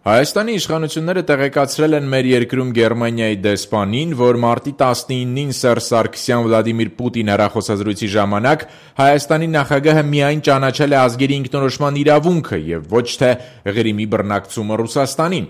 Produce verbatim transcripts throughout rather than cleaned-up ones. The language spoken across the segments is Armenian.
Հայաստանի իշխանությունները տեղեկացրել են մեր երկրում Գերմանիայի դեսպանին, որ մարտի տասնինին Սերժ Սարգսյան Վլադիմիր Պուտին հեռախոսազրույցի ժամանակ Հայաստանի նախագահը միայն ճանաչել է ազգերի ինքնորոշման իրավունքը եւ ոչ թե Ղրիմի բռնակցումը Ռուսաստանին։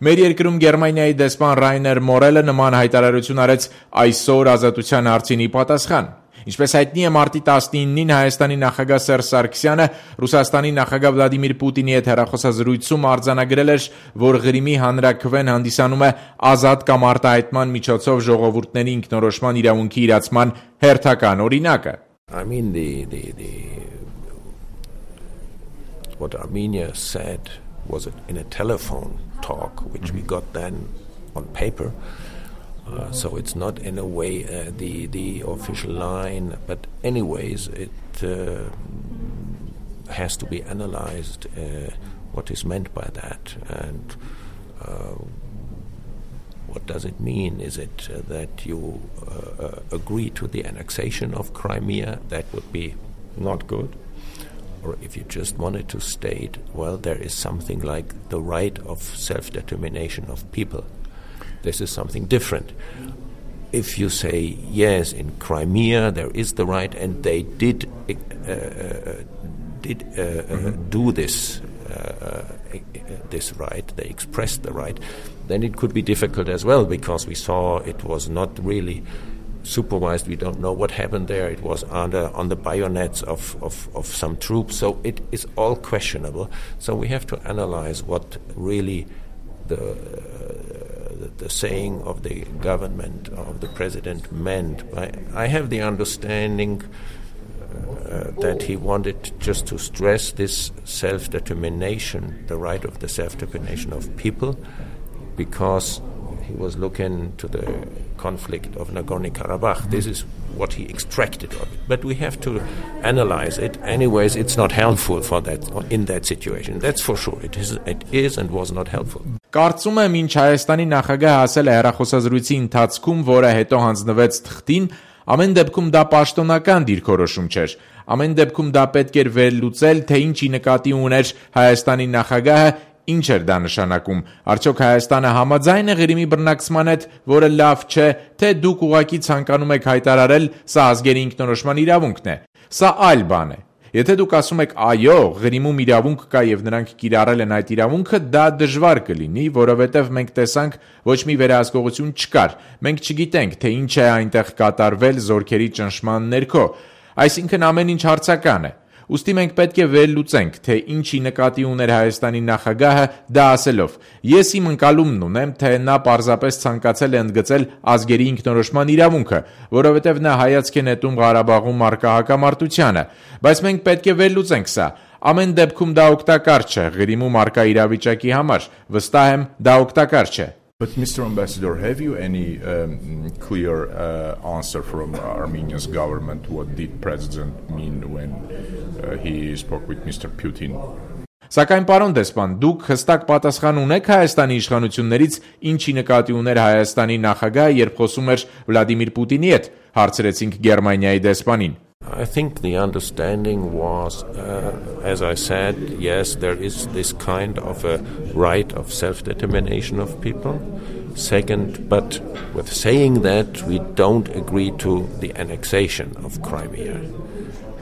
Մեր երկրում Գերմանիայի դեսպան Ռայներ Մորելը նման հայտարարություն արեց այսօր Ազատության հարցինի պատասխան։ Ինչպես հայտնի է, մարտի տասնինին Հայաստանի նախագահ Սերժ Սարգսյանը Ռուսաստանի նախագահ Վլադիմիր Պուտինի հետ հեռախոսազրույցում արձանագրել էր, որ Ղրիմի հանրաքվեն հանդիսանում է ազատ կամ արտահայտման միջոցով ժողովուրդների ինքնորոշման իրավունքի իրացման հերթական օրինակը։ I mean the the the what Armenia said was in a telephone talk which we got then on paper. Uh, so it's not in a way uh, the the official line, but anyways it uh, has to be analyzed uh, what is meant by that and uh, what does it mean? Is it uh, that you uh, uh, agree to the annexation of Crimea? That would be not good. Or if you just wanted to state, well, there is something like the right of self-determination of people. This is something different. If you say, yes, in Crimea there is the right and they did uh, uh, did uh, mm-hmm. uh, do this uh, uh, this right, they expressed the right, then it could be difficult as well because we saw it was not really supervised. We don't know what happened there. It was under on the bayonets of, of, of some troops. So it is all questionable. So we have to analyze what really the uh, the saying of the government, of the president meant. I, I have the understanding uh, that he wanted just to stress this self-determination, the right of the self-determination of people, because he was looking to the conflict of Nagorno-Karabakh. This is what he extracted of it. But we have to analyze it. Anyways, it's not helpful for that in that situation. That's for sure. It is, it is and was not helpful. Կարծում եմ, ինչ Հայաստանի նախագահը ասել է հեռախոսազրույցի ընթացքում, որը հետո հանձնվեց թղթին, ամեն դեպքում դա պաշտոնական դիրքորոշում չէր։ Ամեն դեպքում դա պետք էր վերլուծել, թե ինչի նկատի ուներ Հայաստանի նախագահը, ինչ էր դա նշանակում։ Արդյոք Հայաստանը համաձայն է Ղրիմի բռնակցման հետ, որը լավ չէ, թե դուք ուղղակի ցանկանում եք հայտարարել, սա ազգերի ինքնորոշման իրավունքն է։ Սա այլ բան է։ Եթե դուք ասում եք այո, Ղրիմում իրավունք կա եւ նրանք կիրառել են այդ իրավունքը, դա դժվար կլինի, որովհետեւ մենք տեսանք ոչ մի վերահսկողություն չկար։ Մենք չգիտենք, թե ինչ է այնտեղ կատարվել զորքերի ճնշման ներքո։ Այսինքն ամեն ինչ հարցական է։ Ուստի մենք պետք է վերլուծենք, թե ինչի նկատի ուներ Հայաստանի նախագահը դա ասելով։ Ես իմ ընկալումն ունեմ, թե նա պարզապես ցանկացել է ընդգծել ազգերի ինքնորոշման իրավունքը, որովհետև նա հայացք է նետում Ղարաբաղում առկա հակամարտությանը, բայց մենք պետք է վերլուծենք սա։ Ամեն դեպքում դա օգտակար չէ Ղրիմում առկա իրավիճակի համար, վստահ եմ, դա օգտակար չէ։ But Mister Ambassador, have you any um, clear uh, answer from Armenia's government? What did President mean when uh, he spoke with Mister Putin? Սակայն պարոն դեսպան, դուք հստակ պատասխան ունեք Հայաստանի իշխանություններից, ինչի նկատի ուներ Հայաստանի նախագահը, երբ խոսում էր Վլադիմիր Պուտինի հետ, հարցրեցինք Գերմանիայի դեսպանին։ I think the understanding was, uh, as I said, yes, there is this kind of a right of self-determination of people. Second, but with saying that, we don't agree to the annexation of Crimea.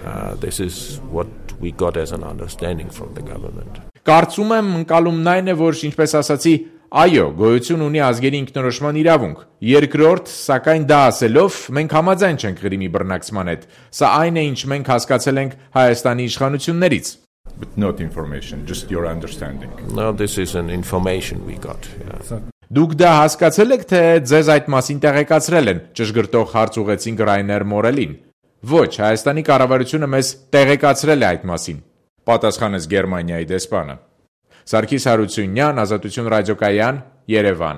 Uh, this is what we got as an understanding from the government. Կարծում եմ ընկալումն այն է, որ ինչպես ասացի, այո, գոյություն ունի ազգերի ինքնորոշման իրավունք։ Երկրորդ, սակայն դա ասելով, մենք համաձայն չենք Ղրիմի բռնակցման հետ։ Սա այն է, ինչ մենք հասկացել ենք Հայաստանի իշխանություններից։ But not information, just your understanding. No, this is an information we got. Yeah. Դուք դա հասկացել եք, թե ձեզ այդ մասին տեղեկացրել են, ճշգրտող հարց ուղեցինք Ռայներ Մորելին։ Ոչ, Հայաստանի կառավարությունը մեզ տեղեկացրել է այդ մասին, պատասխանեց Գերմանիայի դեսպանը։ Սարգիս Հարությունյան, Ազատություն ռադիոկայան, Երևան։